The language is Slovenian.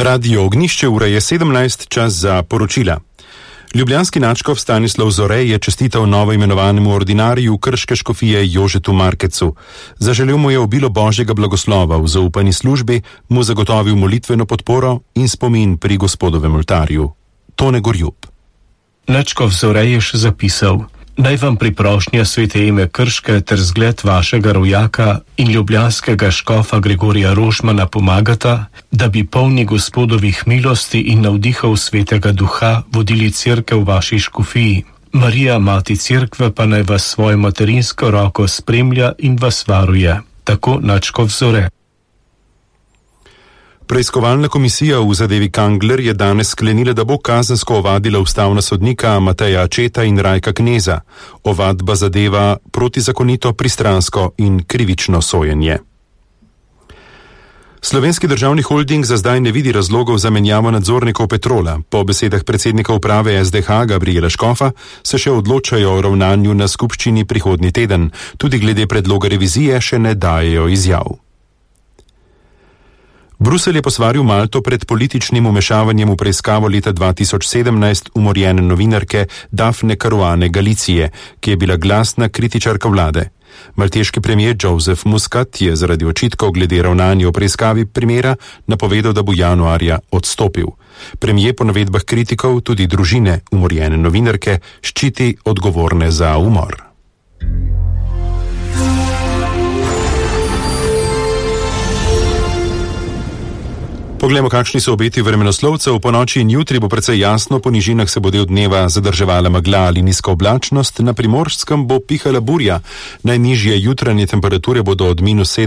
Radio Ognjišče, ura je 17, čas za poročila. Ljubljanski nadškof Stanislav Zore je čestital novo imenovanemu ordinariju krške škofije Jožetu Markecu. Zaželel mu je obilo božjega blagoslova v zaupani službi, mu zagotovil molitveno podporo in spomin pri gospodovem oltarju. Tone Gorjub. Nadškof Zore je še zapisal: Naj vam priprošnja svete ime Krške ter zgled vašega rojaka in ljubljanskega škofa Gregorija Rožmana pomagata, da bi polni gospodovih milosti in navdihov svetega duha vodili cerkev v vaši škofiji. Marija, mati cerkve, pa naj vas svojo materinsko roko spremlja in vas varuje. Tako nadškof Zore. Preiskovalna komisija v zadevi Kangler je danes sklenila, da bo kazensko ovadila ustavna sodnika Mateja Ačeta in Rajka Kneza. Ovadba zadeva protizakonito, pristransko in krivično sojenje. Slovenski državni holding za zdaj ne vidi razlogov za menjavo nadzornikov Petrola. Po besedah predsednika uprave SDH Gabriela Škofa se še odločajo o ravnanju na skupščini prihodnji teden. Tudi glede predloga revizije še ne dajejo izjav. Bruselj je posvaril Malto pred političnim vmešavanjem v preiskavo leta 2017 umorjene novinarke Dafne Caruane Galicije, ki je bila glasna kritičarka vlade. Malteški premijer Joseph Muscat je zaradi očitkov glede ravnanja v preiskavi primera napovedal, da bo januarja odstopil. Premijer po navedbah kritikov tudi družine umorjene novinarke ščiti odgovorne za umor. Poglejmo, kakšni so obeti vremenoslovcev. Po noči in jutri bo precej jasno, po nižinah se bo del dneva zadrževala megla ali nizka oblačnost, na Primorskem bo pihala burja. Najnižje jutranje temperature bodo od -7